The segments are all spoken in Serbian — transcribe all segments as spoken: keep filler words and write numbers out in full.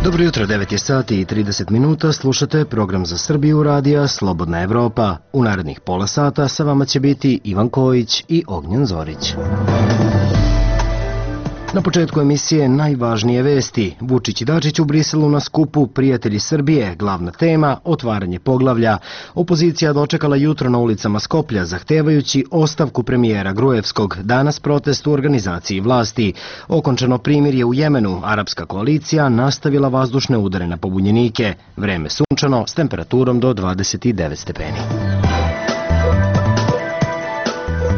Dobro jutro, devet je sati i trideset minuta, slušate program za Srbiju radija Slobodna Evropa. U narednih pola sata sa vama će biti Ivan Kojić i Ognjen Zorić. Na početku emisije najvažnije vesti. Vučić i Dačić u Briselu na skupu Prijatelji Srbije, glavna tema otvaranje poglavlja. Opozicija dočekala jutro na ulicama Skoplja zahtevajući ostavku premijera Gruevskog, danas protest u organizaciji vlasti. Okončano primirje u Jemenu, arapska koalicija nastavila vazdušne udare na pobunjenike. Vreme sunčano s temperaturom do dvadeset devet stepeni.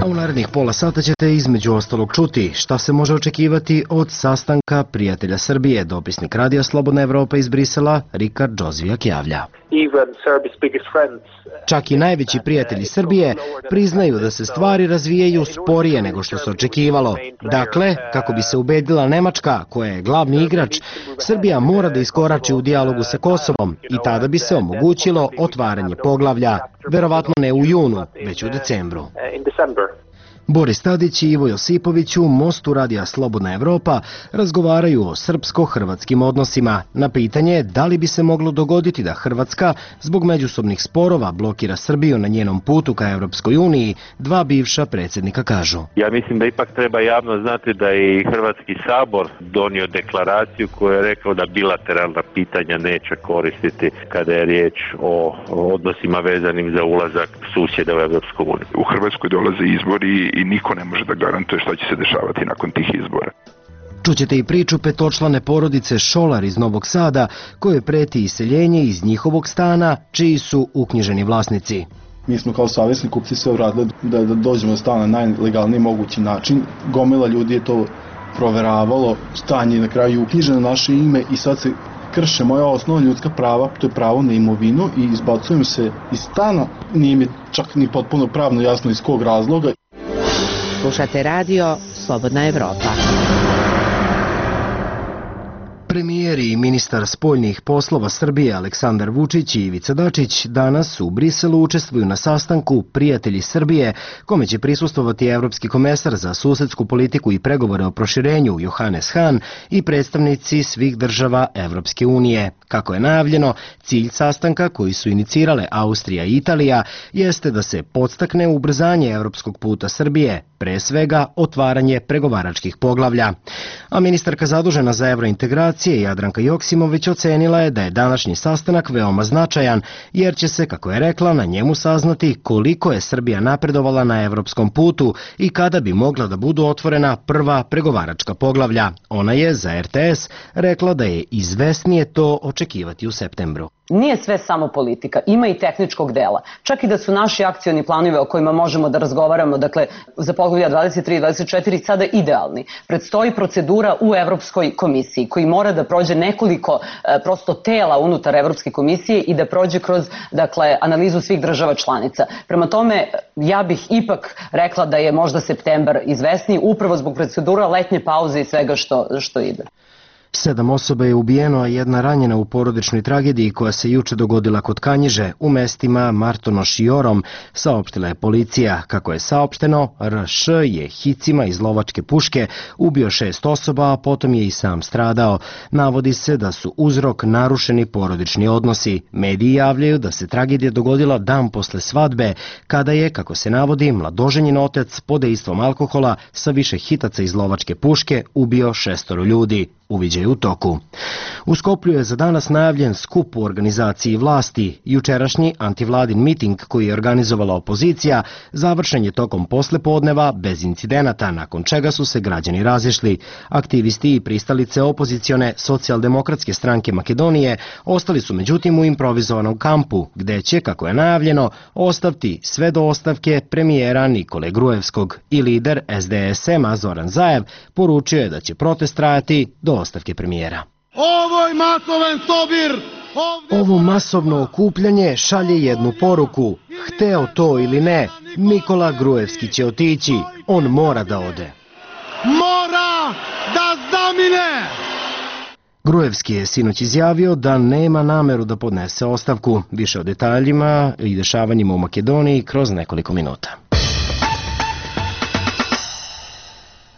U narednih pola sata ćete između ostalog čuti šta se može očekivati od sastanka Prijatelja Srbije. Dopisnik radija Slobodna Evropa iz Brisela, Rikard Džozvijak javlja. Čak i najveći prijatelji Srbije priznaju da se stvari razvijaju sporije nego što se očekivalo. Dakle, kako bi se ubedila Nemačka, koja je glavni igrač, Srbija mora da iskorači u dijalogu sa Kosovom i tada bi se omogućilo otvaranje poglavlja. Verovatno ne u junu, već u decembru. Boris Tadić i Ivo Josipović u Mostu radija Slobodna Evropa razgovaraju o srpsko-hrvatskim odnosima. Na pitanje da li bi se moglo dogoditi da Hrvatska zbog međusobnih sporova blokira Srbiju na njenom putu ka Evropskoj uniji, dva bivša predsjednika kažu. Ja mislim da ipak treba javno znati da je i Hrvatski sabor donio deklaraciju koja je rekao da bilateralna pitanja neće koristiti kada je riječ o odnosima vezanim za ulazak susjeda u Evropsku uniju. U Hrvatskoj dolaze izbori i niko ne može da garantuje šta će se dešavati nakon tih izbora. Čućete i priču petočlane porodice Šolar iz Novog Sada, koje preti iseljenje iz njihovog stana, čiji su uknjiženi vlasnici. Mi smo kao savjesni kupci sve uradili da, da dođemo do stana na najlegalniji mogući način. Gomila ljudi je to proveravalo, stan je na kraju uknjiženo na naše ime i sad se krše moja osnovna ljudska prava, to je pravo na imovinu i izbacujem se iz stana. Nije mi čak ni potpuno pravno jasno iz kog razloga. Slušate radio Slobodna Evropa. Premijer i ministar spoljnih poslova Srbije Aleksandar Vučić i Ivica Dačić danas u Briselu učestvuju na sastanku Prijatelji Srbije, kome će prisustvovati evropski komesar za susedsku politiku i pregovore o proširenju Johannes Hahn i predstavnici svih država Evropske unije. Kako je najavljeno, cilj sastanka koji su inicirale Austrija i Italija jeste da se podstakne ubrzanje evropskog puta Srbije, pre svega otvaranje pregovaračkih poglavlja. A ministarka zadužena za evrointegracije Jadranka Joksimović ocenila je da je današnji sastanak veoma značajan, jer će se, kako je rekla, na njemu saznati koliko je Srbija napredovala na evropskom putu i kada bi mogla da budu otvorena prva pregovaračka poglavlja. Ona je za er te es rekla da je izvesnije to očekivati u septembru. Nije sve samo politika, ima i tehničkog dela. Čak i da su naši akcioni planovi o kojima možemo da razgovaramo, dakle za poglavlja dvadeset tri i dvadeset četiri sada idealni. Predstoji procedura u Evropskoj komisiji koji mora da prođe nekoliko e, prosto tela unutar Evropske komisije i da prođe kroz dakle analizu svih država članica. Prema tome ja bih ipak rekla da je možda septembar izvesniji upravo zbog procedura letnje pauze i svega što, što ide. Sedam osoba je ubijeno, a jedna ranjena u porodičnoj tragediji koja se juče dogodila kod Kanjiže u mestima Martonoš i Orom, saopštila je policija. Kako je saopšteno, er š je hicima iz lovačke puške ubio šest osoba, a potom je i sam stradao. Navodi se da su uzrok narušeni porodični odnosi. Mediji javljaju da se tragedija dogodila dan posle svadbe, kada je, kako se navodi, mladoženjen otac pod dejstvom alkohola sa više hitaca iz lovačke puške ubio šestoro ljudi. Uviđaj u toku. U Skoplju je za danas najavljen skup u organizaciji vlasti. Jučerašnji antivladin miting koji je organizovala opozicija završen je tokom poslepodneva bez incidenata, nakon čega su se građani razišli. Aktivisti i pristalice opozicione socijaldemokratske stranke Makedonije ostali su međutim u improvizovanom kampu, gde će, kako je najavljeno, ostaviti sve do ostavke premijera Nikole Gruevskog i lider es de es ema Zoran Zaev poručio je da će protest trajati do ostavke premijera. Ovo je masovan sobir! Ovo masovno okupljanje šalje jednu poruku. Hteo to ili ne, Nikola Gruevski će otići. On mora da ode. Mora da zamine! Gruevski je sinoć izjavio da nema nameru da podnese ostavku. Više o detaljima i dešavanjima u Makedoniji kroz nekoliko minuta.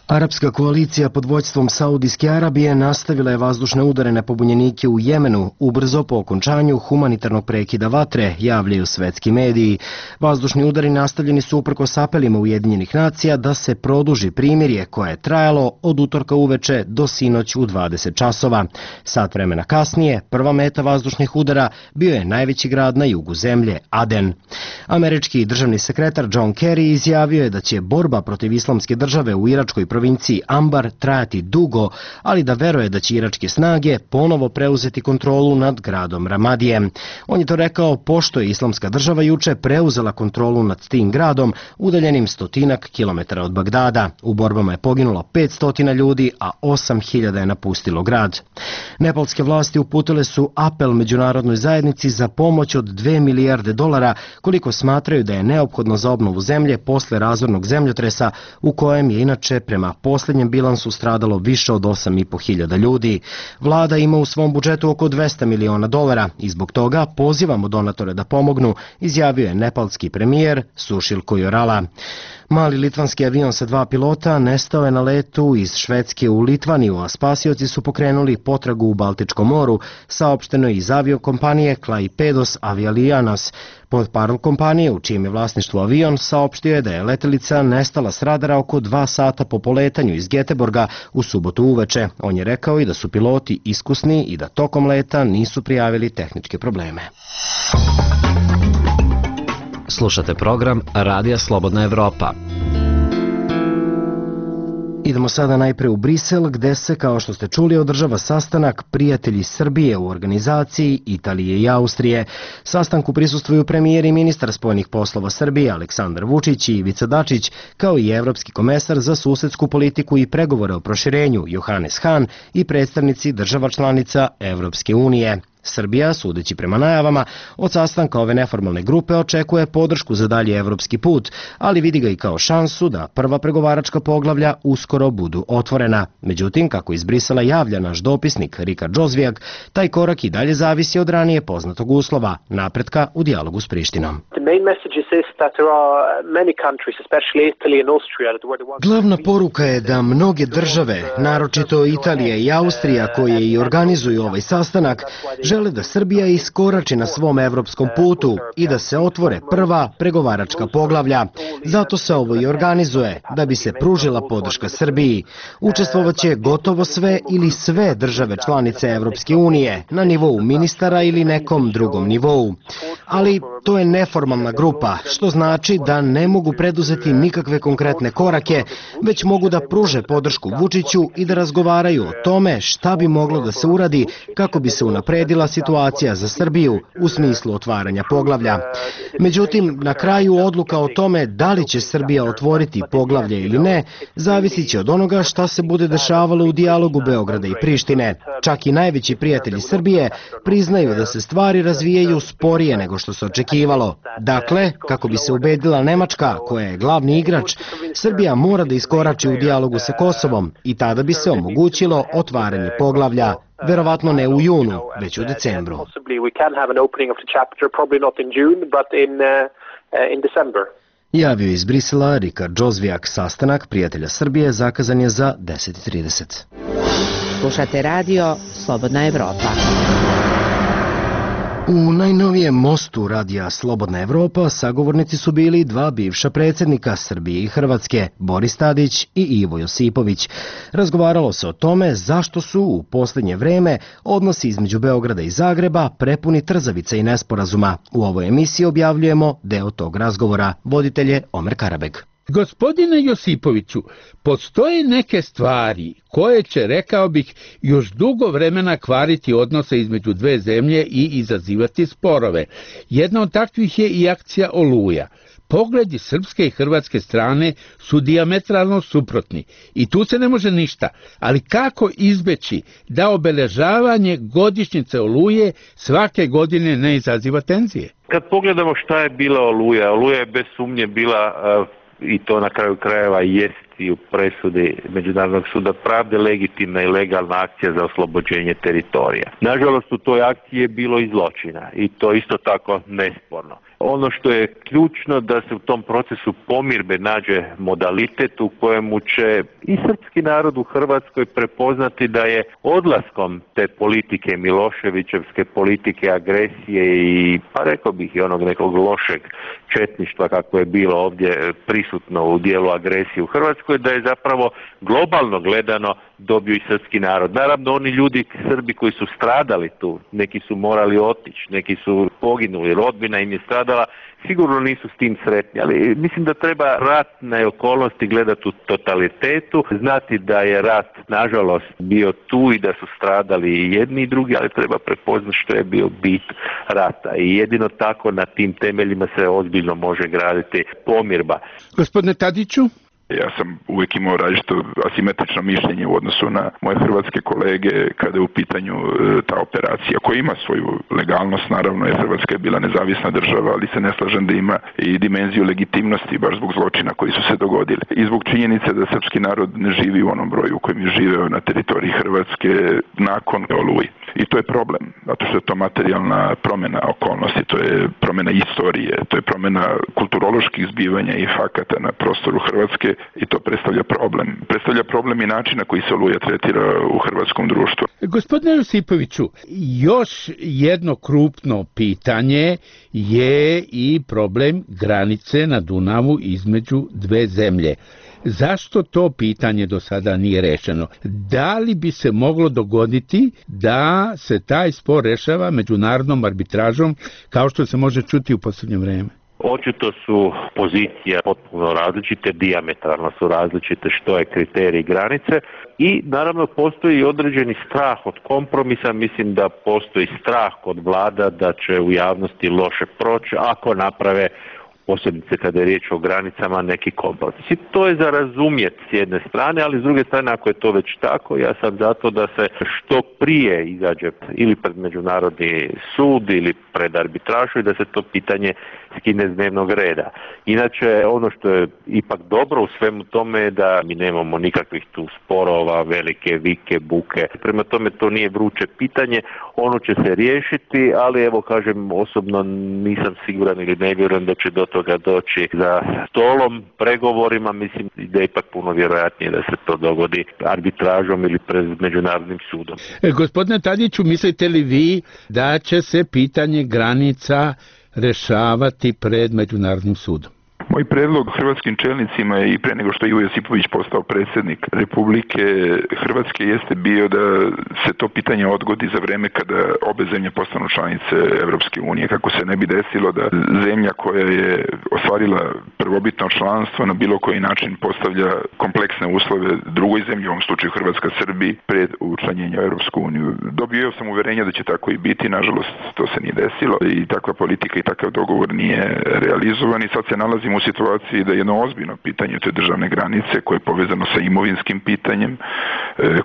Arapska koalicija pod vođstvom Saudijske Arabije nastavila je vazdušne udare na pobunjenike u Jemenu ubrzo po okončanju humanitarnog prekida vatre, javljaju svetski mediji. Vazdušni udari nastavljeni su uprkos apelima Ujedinjenih nacija da se produži primirje koje je trajalo od utorka uveče do sinoć u dvadeset časova. Sat vremena kasnije, prva meta vazdušnih udara bio je najveći grad na jugu zemlje, Aden. Američki državni sekretar John Kerry izjavio je da će borba protiv islamske države u iračkoj provinciji Ambar trajati dugo, ali da veruje da će iračke snage ponovo preuzeti kontrolu nad gradom Ramadijem. On je to rekao pošto je islamska država juče preuzela kontrolu nad tim gradom udaljenim stotinak kilometara od Bagdada. U borbama je poginulo petsto ljudi, a osam hiljada je napustilo grad. Nepalske vlasti uputile su apel međunarodnoj zajednici za pomoć od dve milijarde dolara, koliko smatraju da je neophodno za obnovu zemlje posle razornog zemljotresa u kojem je inače prema posljednjem bilansu stradalo više od osam i po hiljada ljudi. Vlada ima u svom budžetu oko dvesta miliona dolara i zbog toga pozivamo donatore da pomognu, izjavio je nepalski premijer Sušil Kojorala. Mali litvanski avion sa dva pilota nestao je na letu iz Švedske u Litvaniju, a spasioci su pokrenuli potragu u Baltičkom moru, saopšteno je iz aviokompanije Klaipėdos Avialijanas. Portparol kompanije, u čijem je vlasništvu avion, saopštio je da je letelica nestala s radara oko dva sata po poletanju iz Geteborga u subotu uveče. On je rekao i da su piloti iskusni i da tokom leta nisu prijavili tehničke probleme. Slušate program Radija Slobodna Evropa. Idemo sada najpre u Brisel, gde se, kao što ste čuli, održava sastanak Prijatelji Srbije u organizaciji Italije i Austrije. Sastanku prisustvuju premijer i ministar spoljnih poslova Srbije Aleksandar Vučić i Ivica Dačić, kao i evropski komesar za susedsku politiku i pregovore o proširenju Johannes Hahn i predstavnici država članica Evropske unije. Srbija, sudeći prema najavama, od sastanka ove neformalne grupe očekuje podršku za dalji evropski put, ali vidi ga i kao šansu da prva pregovaračka poglavlja uskoro budu otvorena. Međutim, kako iz Brisela javlja naš dopisnik Rika Džozvijak, taj korak i dalje zavisi od ranije poznatog uslova, napretka u dijalogu s Prištinom. Glavna poruka je da mnoge države, naročito Italija i Austrija, koje i organizuju ovaj sastanak, žele da Srbija iskorači na svom evropskom putu i da se otvore prva pregovaračka poglavlja. Zato se ovo i organizuje, da bi se pružila podrška Srbiji. Učestvovaće gotovo sve ili sve države članice Evropske unije, na nivou ministara ili nekom drugom nivou. Ali to je neformalna grupa, što znači da ne mogu preduzeti nikakve konkretne korake, već mogu da pruže podršku Vučiću i da razgovaraju o tome šta bi moglo da se uradi kako bi se unapredila situacija za Srbiju u smislu otvaranja poglavlja. Međutim, na kraju odluka o tome da li će Srbija otvoriti poglavlje ili ne, zavisit će od onoga šta se bude dešavalo u dijalogu Beograda i Prištine. Čak i najveći prijatelji Srbije priznaju da se stvari razvijaju sporije nego što se očekivalo. Dakle, kako bi se ubedila Nemačka, koja je glavni igrač, Srbija mora da iskorači u dijalogu sa Kosovom i tada bi se omogućilo otvaranje poglavlja. Verovatno ne u junu, već u decembru. Javio iz Brisela Rika Džozvijak. Sastanak Prijatelja Srbije zakazan je za deset i trideset. Slušate radio Slobodna Evropa. U najnovijem mostu radija Slobodna Evropa sagovornici su bili dva bivša predsjednika Srbije i Hrvatske, Boris Tadić i Ivo Josipović. Razgovaralo se o tome zašto su u posljednje vreme odnosi između Beograda i Zagreba prepuni trzavica i nesporazuma. U ovoj emisiji objavljujemo deo tog razgovora. Voditelj je Omer Karabeg. Gospodine Josipoviću, postoje neke stvari koje će, rekao bih, još dugo vremena kvariti odnose između dve zemlje i izazivati sporove. Jedna od takvih je i akcija Oluja. Pogledi srpske i hrvatske strane su dijametralno suprotni i tu se ne može ništa, ali kako izbeći da obeležavanje godišnjice Oluje svake godine ne izaziva tenzije? Kad pogledamo šta je bila Oluja, Oluja je bez sumnje bila uh, i to na kraju krajeva jest i u presudi Međunarodnog suda pravde legitimna i legalna akcija za oslobođenje teritorija. Nažalost, u toj akciji je bilo i zločina i to isto tako nesporno. Ono što je ključno da se u tom procesu pomirbe nađe modalitet u kojemu će i srpski narod u Hrvatskoj prepoznati da je odlaskom te politike Miloševićevske politike agresije i pa rekao bih i onog nekog lošeg četništva kako je bilo ovdje prisutno u dijelu agresije u Hrvatskoj, da je zapravo globalno gledano dobio i srpski narod. Naravno, oni ljudi, Srbi koji su stradali tu, neki su morali otići, neki su poginuli, rodbina im je stradala, sigurno nisu s tim sretni, ali mislim da treba ratne okolnosti gledati u totalitetu, znati da je rat, nažalost, bio tu i da su stradali i jedni i drugi, ali treba prepoznati što je bio bit rata i jedino tako na tim temeljima se ozbiljno može graditi pomirba. Gospodine Tadiću? Ja sam uvijek imao različito asimetrično mišljenje u odnosu na moje hrvatske kolege kada je u pitanju e, ta operacija koja ima svoju legalnost, naravno jer Hrvatska je bila nezavisna država, ali se ne slažem da ima i dimenziju legitimnosti baš zbog zločina koji su se dogodili. I zbog činjenice da srpski narod ne živi u onom broju u kojem je živeo na teritoriji Hrvatske nakon Oluji. I to je problem, zato što je to materijalna promjena okolnosti, to je promjena istorije, to je promjena kulturoloških zbivanja i fakata na prostoru Hrvatske i to predstavlja problem. Predstavlja problem i načina koji se Oluja tretira u hrvatskom društvu. Gospodine Josipoviću, još jedno krupno pitanje je i problem granice na Dunavu između dve zemlje. Zašto to pitanje do sada nije rešeno? Da li bi se moglo dogoditi da se taj spor rešava međunarodnom arbitražom kao što se može čuti u posljednje vreme? Očito su pozicije potpuno različite, dijametralno su različite što je kriterij granice i naravno postoji određeni strah od kompromisa, mislim da postoji strah kod vlada da će u javnosti loše proći ako naprave posebice kada je riječ o granicama neki kompromis. I to je za razumjeti s jedne strane, ali s druge strane ako je to već tako, ja sam zato da se što prije izađe ili pred Međunarodni sud ili pred arbitražu i da se to pitanje skine s dnevnog reda. Inače, ono što je ipak dobro u svemu tome je da mi nemamo nikakvih tu sporova, velike vike, buke. Prema tome to nije vruće pitanje, ono će se riješiti, ali evo kažem osobno nisam siguran ili ne vjerujem da će do toga doći za stolom, pregovorima, mislim da je ipak puno vjerojatnije da se to dogodi arbitražom ili pred Međunarodnim sudom. E, gospodine Tadiću, mislite li vi da će se pitanje granica rešavati pred Međunarodnim sudom? Moj predlog hrvatskim čelnicima je i pre nego što je Ivo Josipović postao predsjednik Republike Hrvatske jeste bio da se to pitanje odgodi za vreme kada obe zemlje postanu članice Evropske unije, kako se ne bi desilo da zemlja koja je ostvarila prvobitno članstvo na bilo koji način postavlja kompleksne uslove drugoj zemlji, u ovom slučaju Hrvatska Srbiji, pred učlanjenje u Evropsku uniju. Dobio sam uverenje da će tako i biti, nažalost to se nije desilo i takva politika i takav dogovor nije realizovan i sad se nalazimo u situaciji da je jedno ozbiljno pitanje te državne granice koje je povezano sa imovinskim pitanjem,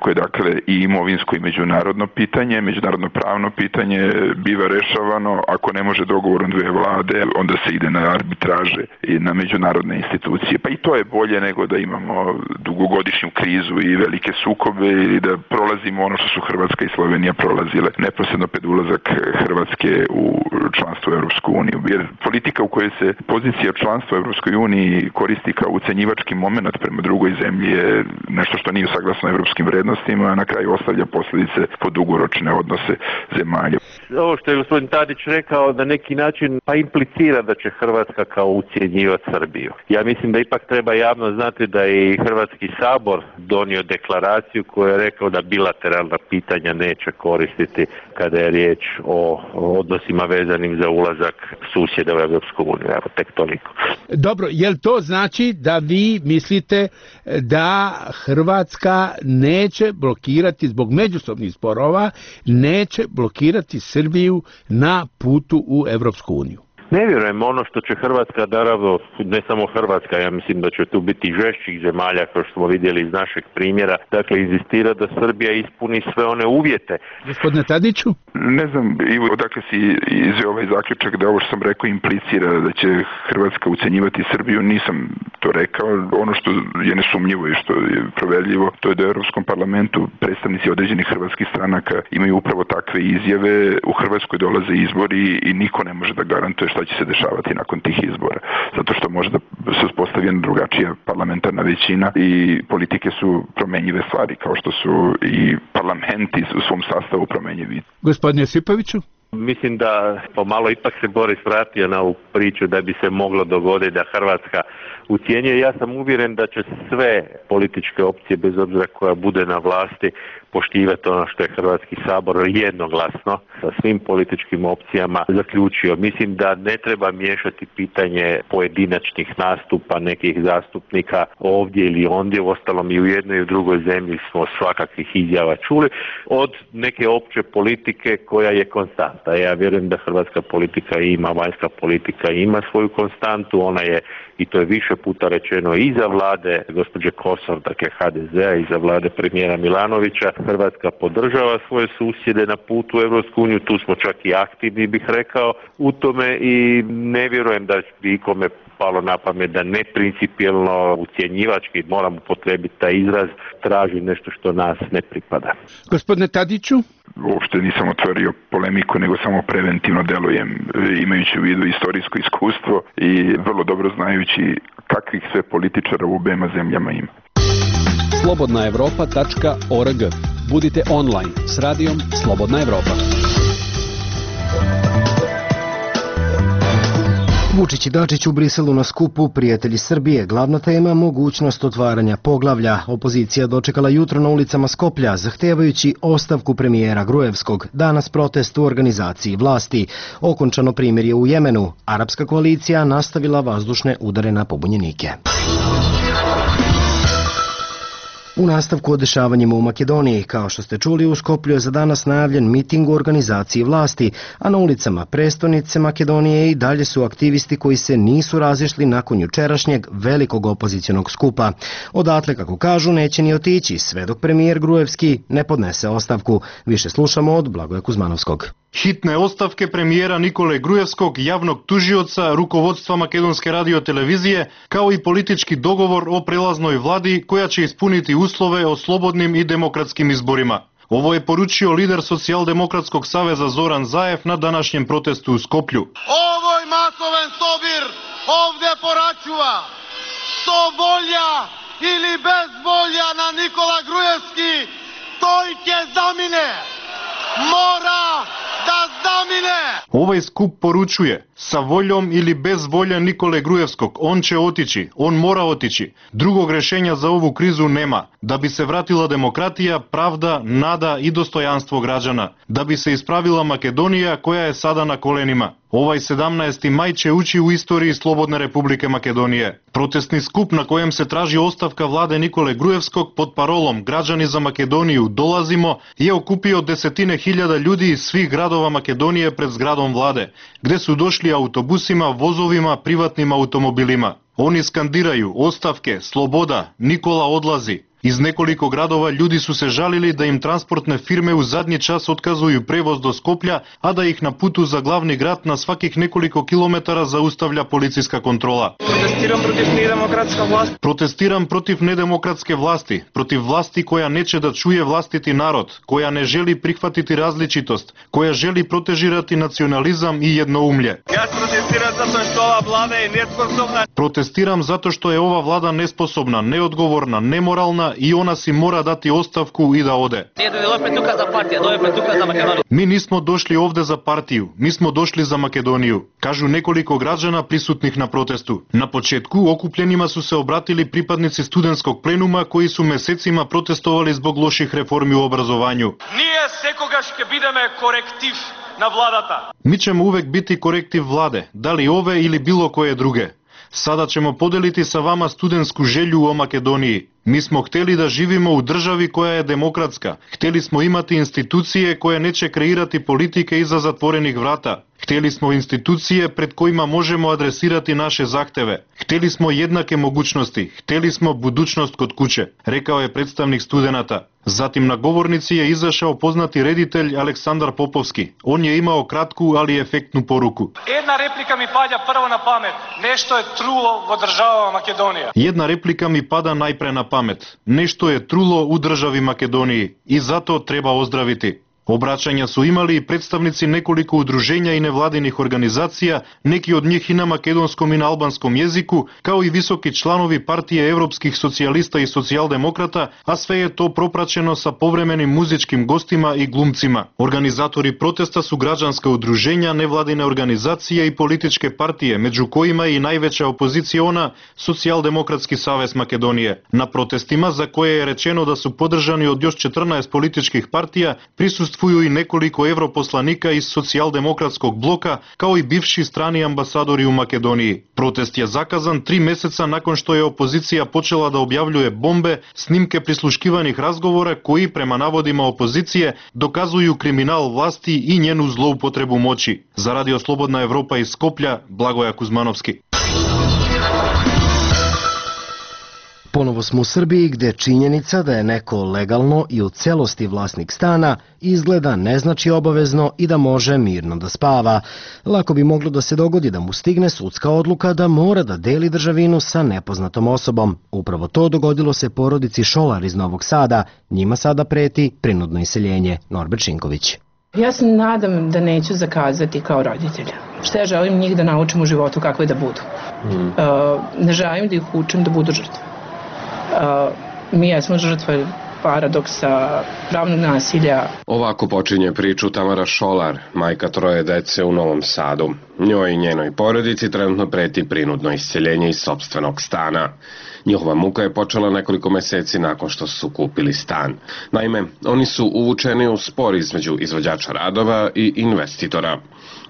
koje je dakle i imovinsko i međunarodno pitanje, međunarodno pravno pitanje biva rešavano, ako ne može dogovorom dve vlade, onda se ide na arbitraže i na međunarodne institucije. Pa i to je bolje nego da imamo dugogodišnju krizu i velike sukobe i da prolazimo ono što su Hrvatska i Slovenija prolazile neposredno pred ulazak Hrvatske u članstvo u Europsku uniju. Jer politika u kojoj se pozicija članstva u Europskoj uniji koristi kao ucenjivački moment prema drugoj zemlji je nešto što nije saglasno evropskim vrednostima, a na kraju ostavlja posljedice po dugoročne odnose zemalja. Ovo što je gospodin Tadić rekao na neki način pa implicira da će Hrvatska kao ucjenjivati Srbiju. Ja mislim da ipak treba javno znati da je i Hrvatski sabor donio deklaraciju koja je rekao da bilateralna pitanja neće koristiti kada je riječ o odnosima vezanim za ulazak susjeda u Europsku uniju. Evo, tek toliko. Dobro, jel to znači da vi mislite da Hrvatska neće blokirati zbog međusobnih sporova, neće blokirati Srbiju na putu u Evropsku uniju? Ne vjerujem, ono što će Hrvatska, naravno, ne samo Hrvatska, ja mislim da će tu biti žešćih zemalja, kao što smo vidjeli iz našeg primjera, dakle, inzistira da Srbija ispuni sve one uvjete. Gospodine Tadiću? Ne znam, Ivo, odakle si izveo ovaj zaključak da ovo što sam rekao implicira da će Hrvatska ucenjivati Srbiju, nisam to rekao. Ono što je nesumnjivo i što je proverljivo, to je da u Europskom parlamentu predstavnici određenih hrvatskih stranaka imaju upravo takve izjave. U Hrvatskoj dolaze izbori i niko ne može da garantuje šta će se dešavati nakon tih izbora. Zato što može da se uspostavi jedna drugačija parlamentarna većina i politike su promenjive stvari, kao što su i parlamenti u svom sastavu promenjivi. Gospodine Josipoviću? Mislim da pomalo ipak se Boris vratio na ovu priču da bi se moglo dogoditi da Hrvatska ucijenjuje. Ja sam uvjeren da će sve političke opcije, bez obzira koja bude na vlasti, poštivati ono što je Hrvatski sabor jednoglasno sa svim političkim opcijama zaključio. Mislim da ne treba miješati pitanje pojedinačnih nastupa nekih zastupnika ovdje ili ondje. Uostalom i u jednoj i u drugoj zemlji smo svakakvih izjava čuli, od neke opće politike koja je konstanta. Ja vjerujem da hrvatska politika ima, vanjska politika ima svoju konstantu, ona je, i to je više puta rečeno, i za vlade gospođe Kosor, dakle ha de zea, i za vlade premijera Milanovića. Hrvatska podržava svoje susjede na putu u Europsku uniju, tu smo čak i aktivni, bih rekao, u tome, i ne vjerujem da bi ikome palo na pamet da neprincipijelno, ucjenjivački, moram upotrijebiti taj izraz, traži nešto što nas ne pripada. Gospodine Tadiću? Uopšte nisam otvorio polemiku, nego samo preventivno delujem, imajući u vidu istorijsko iskustvo i vrlo dobro znajući kakvih sve političara u obema zemljama ima. slobodna evropa tačka org. Budite online s radijom Slobodna Evropa. Vučić i Dačić u Briselu na skupu Prijatelji Srbije. Glavna tema, mogućnost otvaranja poglavlja. Opozicija dočekala jutro na ulicama Skoplja, zahtevajući ostavku premijera Gruevskog. Danas protest u organizaciji vlasti. Okončano primirje u Jemenu. Arapska koalicija nastavila vazdušne udare na pobunjenike. U nastavku o dešavanjima u Makedoniji, kao što ste čuli, u Skoplju je za danas najavljen miting u organizaciji vlasti, a na ulicama prestonice Makedonije i dalje su aktivisti koji se nisu razišli nakon jučerašnjeg velikog opozicionog skupa. Odatle, kako kažu, neće ni otići, sve dok premijer Gruevski ne podnese ostavku. Više slušamo od Blagoja Kuzmanovskog. Hitne ostavke premijera Nikole Gruevskog, javnog tužioca, rukovodstva Makedonske radiotelevizije, kao i politički dogovor o prelaznoj vladi koja će ispuniti uslove o slobodnim i demokratskim izborima. Ovo je poručio lider Socijaldemokratskog saveza Zoran Zaev na današnjem protestu u Skoplju. Ovoj masoven sobir ovdje poračuva što volja ili bez volja na Nikola Gruevski, tojke zamine, mora da zamine. Ovaj skup poručuje, sa voljom ili bez volje Nikole Gruevskog, on će otići, on mora otići. Drugog rešenja za ovu krizu nema. Da bi se vratila demokratija, pravda, nada i dostojanstvo građana. Da bi se ispravila Makedonija koja je sada na kolenima. Ovaj sedamnaesti maj će ući u istoriji Slobodne Republike Makedonije. Protestni skup na kojem se traži ostavka vlade Nikole Gruevskog pod parolom Građani za Makedoniju dolazimo je okupio desetine hiljada ljudi iz svih gradova Makedonije pred zgradom vlade, gde su došli autobusima, vozovima, privatnim automobilima. Oni skandiraju ostavke, sloboda, Nikola odlazi. Iz nekoliko gradova ljudi su se žalili da im transportne firme u zadnji čas otkazuju prevoz do Skoplja, a da ih na putu za glavni grad na svakih nekoliko kilometara zaustavlja policijska kontrola. Protestiram protiv nedemokratska vlast. Protestiram protiv nedemokratske vlasti, protiv vlasti koja neće da čuje vlastiti narod, koja ne želi prihvatiti različitost, koja želi protežirati nacionalizam i jednoumlje. Ja protestiram zato što ova vlada je nesposobna. Protestiram zato što je ova vlada nesposobna, neodgovorna, nemoralna i ona si mora dati ostavku i da ode. Mi nismo došli ovde za partiju, mi smo došli za Makedoniju, kažu nekoliko građana prisutnih na protestu. Na početku okupljenima su se obratili pripadnici studentskog plenuma koji su mesecima protestovali zbog loših reformi u obrazovanju. Nije sekogaš ke bideme korektiv na vladata. Mi ćemo uvek biti korektiv vlade, da li ove ili bilo koje druge. Sada ćemo podeliti sa vama studentsku želju o Makedoniji. Mi smo hteli da živimo u državi koja je demokratska. Hteli smo imati institucije koje neće kreirati politike iza zatvorenih vrata. Hteli smo institucije pred kojima možemo adresirati naše zahteve. Hteli smo jednake mogućnosti. Hteli smo budućnost kod kuće, rekao je predstavnik studenata. Zatim na govornici je izašao poznati reditelj Aleksandar Popovski. On je imao kratku, ali efektnu poruku. Jedna replika mi pada prvo na pamet. Nešto je trulo u država Makedonija. Jedna replika mi pada najpre na pamet. Nešto je trulo u državi Makedoniji i zato treba ozdraviti. Obraćanja su imali i predstavnici nekoliko udruženja i nevladinih organizacija, neki od njih i na makedonskom i na albanskom jeziku, kao i visoki članovi Partije evropskih socijalista i socijaldemokrata, a sve je to propraćeno sa povremenim muzičkim gostima i glumcima. Organizatori protesta su građanska udruženja, nevladine organizacije i političke partije, među kojima je i najveća opoziciona Socijaldemokratski savez Makedonije. Na protestima, za koje je rečeno da su podržani od još četrnaest političkih partija, prisustvuju i nekoliko europoslanika iz socijaldemokratskog bloka, kao i bivši strani ambasadori u Makedoniji. Protest je zakazan tri meseca nakon što je opozicija počela da objavljuje bombe, snimke prisluškivanih razgovora koji, prema navodima opozicije, dokazuju kriminal vlasti i njenu zloupotrebu moći. Za Radio Slobodna Evropa iz Skoplja, Blagoja Kuzmanovski. Ponovo smo u Srbiji gde činjenica da je neko legalno i u celosti vlasnik stana izgleda ne znači obavezno i da može mirno da spava. Lako bi moglo da se dogodi da mu stigne sudska odluka da mora da deli državinu sa nepoznatom osobom. Upravo to dogodilo se porodici Šolar iz Novog Sada. Njima sada preti prinudno iseljenje. Norbert Šinković. Ja se nadam da neću zakazati kao roditelj. Šta ja želim njih da naučim u životu kakve da budu. Mm. Uh, ne želim da ih učim da budu žrtve. Uh, mi jesmo žrtve paradoksa, pravnog nasilja. Ovako počinje priču Tamara Šolar, majka troje dece u Novom Sadu. Njoj i njenoj porodici trenutno preti prinudno isceljenje iz sopstvenog stana. Njihova muka je počela nekoliko meseci nakon što su kupili stan. Naime, oni su uvučeni u spor između izvođača radova i investitora.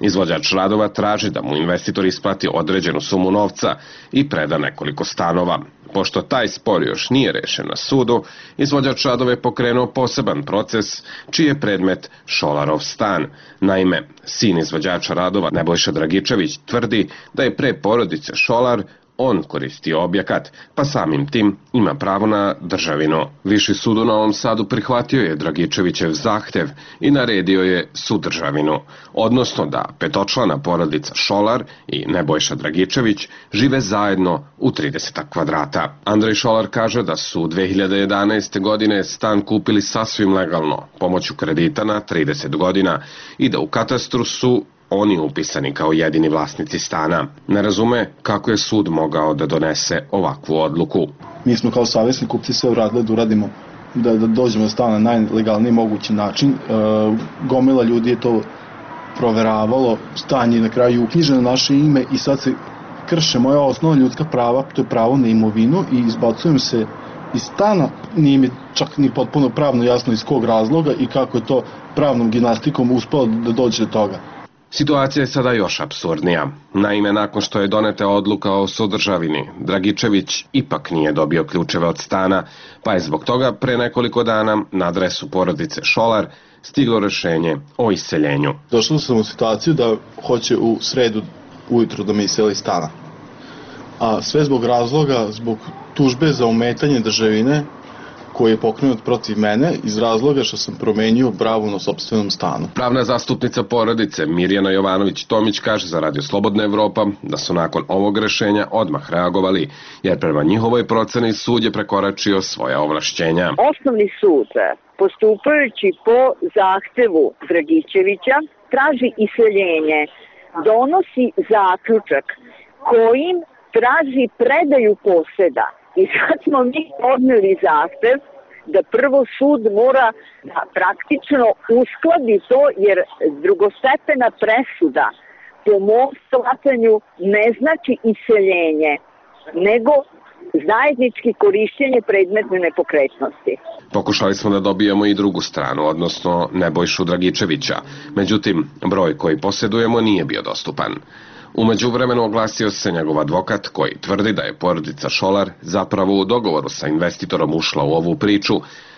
Izvođač radova traži da mu investitor isplati određenu sumu novca i preda nekoliko stanova. Pošto taj spor još nije rešen na sudu, izvođač radova je pokrenuo poseban proces, čiji je predmet Šolarov stan. Naime, sin izvođača radova Nebojša Dragičević tvrdi da je pre porodice Šolar on koristio objekat, pa samim tim ima pravo na državinu. Viši sud u Novom Sadu prihvatio je Dragičevićev zahtev i naredio je sudržavinu, odnosno da petočlana porodica Šolar i Nebojša Dragičević žive zajedno u trideset kvadrata. Andrej Šolar kaže da su dve hiljade jedanaeste. godine stan kupili sasvim legalno, pomoću kredita na trideset godina i da u katastru su oni upisani kao jedini vlasnici stana. Ne razume kako je sud mogao da donese ovakvu odluku. Mi smo kao savjesni kupci sve uradili da uradimo, da, da dođemo do stana na najlegalniji mogući način. E, gomila ljudi je to proveravalo, stan je na kraju uknjiženo na naše ime i sad se krše moja osnovna ljudska prava, to je pravo na imovinu i izbacujem se iz stana. Nije mi čak ni potpuno pravno jasno iz kog razloga i kako je to pravnom gimnastikom uspelo da dođe do toga. Situacija je sada još apsurdnija. Naime, nakon što je doneta odluka o sudržavini, Dragičević ipak nije dobio ključeve od stana, pa je zbog toga pre nekoliko dana na adresu porodice Šolar stiglo rešenje o iseljenju. Došao sam u situaciju da hoće u sredu ujutru da me iseli stana. A sve zbog razloga, zbog tužbe za ometanje državine koji je pokrenut protiv mene iz razloga što sam promenio pravu na sopstvenom stanu. Pravna zastupnica porodice Mirjana Jovanović-Tomić kaže za Radio Slobodna Evropa da su nakon ovog rešenja odmah reagovali, jer prema njihovoj proceni sud je prekoračio svoja ovlašćenja. Osnovni sud, postupajući po zahtevu Dragičevića, traži iseljenje, donosi zaključak kojim traži predaju poseda. I sad smo mi podneli zahtev da prvo sud mora da praktično uskladi to, jer drugostepena presuda po mom shvatanju ne znači iseljenje, nego zajednički korišćenje predmetne nepokretnosti. Pokušali smo da dobijemo i drugu stranu, odnosno Nebojšu Dragičevića. Međutim, broj koji posjedujemo nije bio dostupan. U međuvremenu oglasio se njegov advokat koji tvrdi da je porodica Šolar zapravo u dogovoru sa investitorom ušla u ovu priču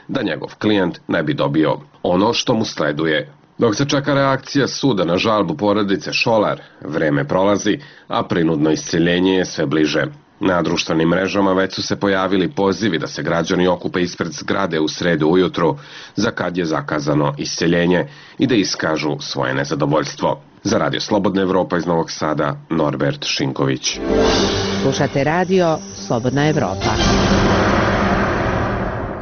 da njegov klijent ne bi dobio ono što mu sleduje. Dok se čeka reakcija suda na žalbu porodice Šolar, vreme prolazi, a prinudno isceljenje je sve bliže. Na društvenim mrežama već su se pojavili pozivi da se građani okupe ispred zgrade u sredu ujutru, za kad je zakazano isceljenje, i da iskažu svoje nezadovoljstvo. Za Radio Slobodna Evropa iz Novog Sada, Norbert Šinković. Slušate radio Slobodna Evropa.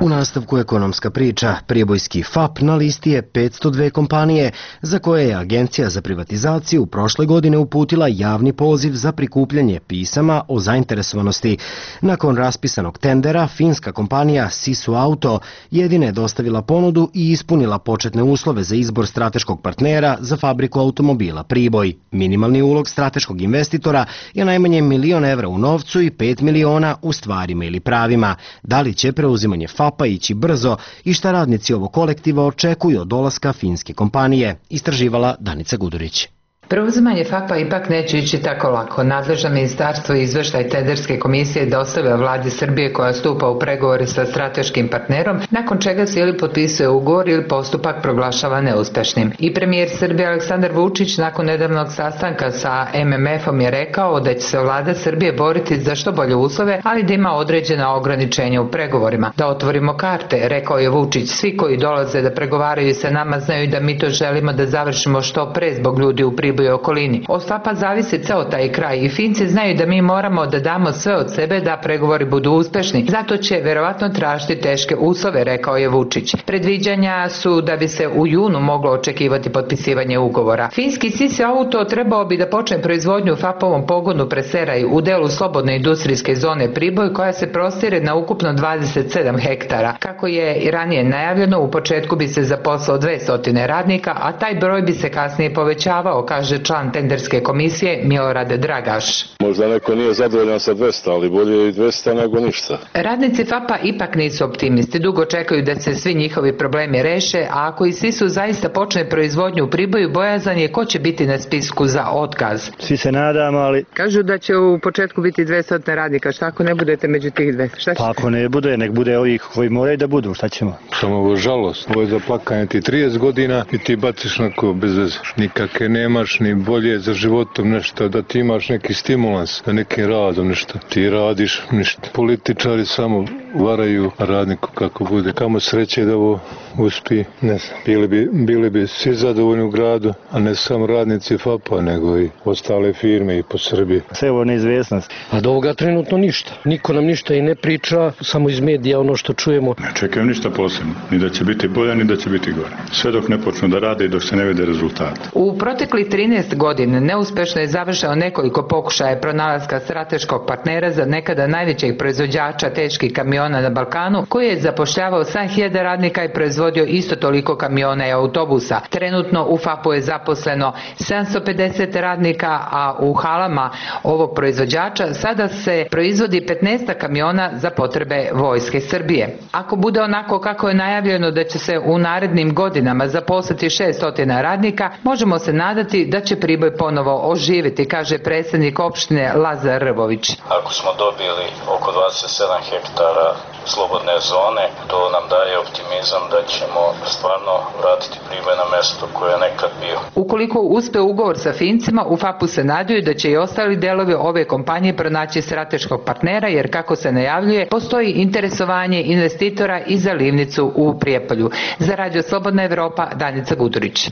U nastavku ekonomska priča, Pribojski F A P na listi je petsto dve kompanije za koje je Agencija za privatizaciju prošle godine uputila javni poziv za prikupljanje pisama o zainteresovanosti. Nakon raspisanog tendera, finska kompanija Sisu Auto jedina je dostavila ponudu i ispunila početne uslove za izbor strateškog partnera za fabriku automobila Priboj. Minimalni ulog strateškog investitora je najmanje milion evra u novcu i pet miliona u stvarima ili pravima. Da li će preuzimanje F A P-a ići brzo i šta radnici ovog kolektiva očekuju od dolaska finske kompanije, istraživala Danica Gudurić. Preuzimanje F A P-a ipak neće ići tako lako. Nadležno ministarstvo izveštaj tenderske komisije dostavlja vladi Srbije koja stupa u pregovore sa strateškim partnerom, nakon čega se ili potpisuje ugovor ili postupak proglašava neuspešnim. I premijer Srbije Aleksandar Vučić nakon nedavnog sastanka sa M M F-om je rekao da će se vlada Srbije boriti za što bolje uslove, ali da ima određena ograničenja u pregovorima. Da otvorimo karte, rekao je Vučić, svi koji dolaze da pregovaraju sa nama znaju da mi to želimo da završimo što pre zbog ljudi u Priboju i okolini. Od F A P-a zavisi ceo taj kraj i Finci znaju da mi moramo da damo sve od sebe da pregovori budu uspešni. Zato će verovatno tražiti teške uslove, rekao je Vučić. Predviđanja su da bi se u junu moglo očekivati potpisivanje ugovora. Finski Sisu Auto trebao bi da počne proizvodnju u F A P-ovom pogonu Preseraj u delu slobodne industrijske zone Priboj koja se prostire na ukupno dvadeset sedam hektara. Kako je i ranije najavljeno, u početku bi se zaposlao dvesta radnika, a taj broj bi se kasnije povećavao, kaže član tenderske komisije Milorad Dragaš. Možda neko nije zadovoljan sa dvesta, ali bolje i dvesta nego ništa. Radnici F A P-a ipak nisu optimisti. Dugo čekaju da se svi njihovi problemi reše, a ako i Sisu zaista počne proizvodnju u Priboju, bojazan je ko će biti na spisku za otkaz. Svi se nadamo, ali... Kažu da će u početku biti dvesta radnika. Šta ako ne budete među tih dvesta? Šta će? Pa ako ne bude, nek bude ovih koji moraju da budu. Šta ćemo? Samo ovo žalost. Ovo je za plakanje ti trideset godina i ti baciš nako bez veze. Nikakve nemaš ni bolje za životom nešto, da ti imaš neki stimulans, da nekim radom nešto. Ti radiš ništa. Političari samo varaju radniku kako bude. Kamo sreće da ovo uspi, ne znam. Bili bi, bili bi svi zadovoljni u gradu, a ne samo radnici F A P-a, nego i ostale firme i po Srbiji. Sve ovo neizvjesnost. A do ovoga trenutno ništa. Niko nam ništa i ne priča, samo iz medija ono što čujemo. Ne čekam ništa posebno. Ni da će biti bolje, ni da će biti gore. Sve dok ne počnu da rade i dok se ne vide rezultati. U proteklih trinaest godina neuspešno je završeno nekoliko pokušaja pronalaska strateškog partnera za nekada najvećeg proizvođača teških kamiona na Balkanu, koji je zapošljavao sedam hiljada radnika i proizvodio isto toliko kamiona i autobusa. Trenutno u F A P-u je zaposleno sedamsto pedeset radnika, a u halama ovog proizvođača sada se proizvodi petnaest kamiona za potrebe Vojske Srbije. Ako bude onako kako je najavljeno da će se u narednim godinama zaposliti šessto radnika, možemo se nadati da će Priboj ponovo oživjeti, kaže predsjednik opštine Lazar Rvović. Ako smo dobili oko dvadeset sedam hektara slobodne zone, to nam daje optimizam da ćemo stvarno vratiti Priboj na mesto koje je nekad bio. Ukoliko uspe ugovor sa Fincima, u F A P-u se nadaju da će i ostali delovi ove kompanije pronaći strateškog partnera, jer kako se najavljuje, postoji interesovanje investitora i za livnicu u Prijepolju. Za Radio Slobodna Evropa, Danica Gudurić.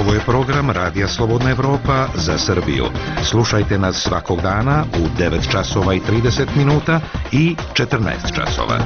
Ovo je program Radija Slobodna Evropa za Srbiju. Slušajte nas svakog dana u devet časova i trideset minuta i četrnaest časova.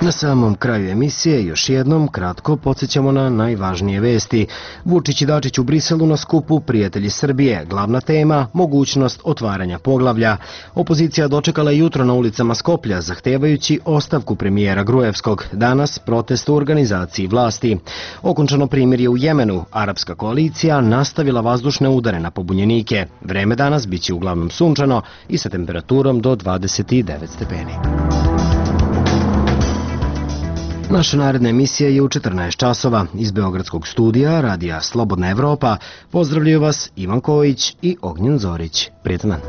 Na samom kraju emisije još jednom kratko podsjećamo na najvažnije vesti. Vučić i Dačić u Briselu na skupu Prijatelji Srbije. Glavna tema, mogućnost otvaranja poglavlja. Opozicija dočekala jutro na ulicama Skoplja, zahtevajući ostavku premijera Gruevskog. Danas protest u organizaciji vlasti. Okončano primirje u Jemenu. Arapska koalicija nastavila vazdušne udare na pobunjenike. Vreme danas biće uglavnom sunčano i sa temperaturom do dvadeset devet stepeni. Naša naredna emisija je u četrnaest časova. Iz Beogradskog studija Radija Slobodna Evropa pozdravljaju vas Ivan Kojić i Ognjen Zorić. Prijetan dan.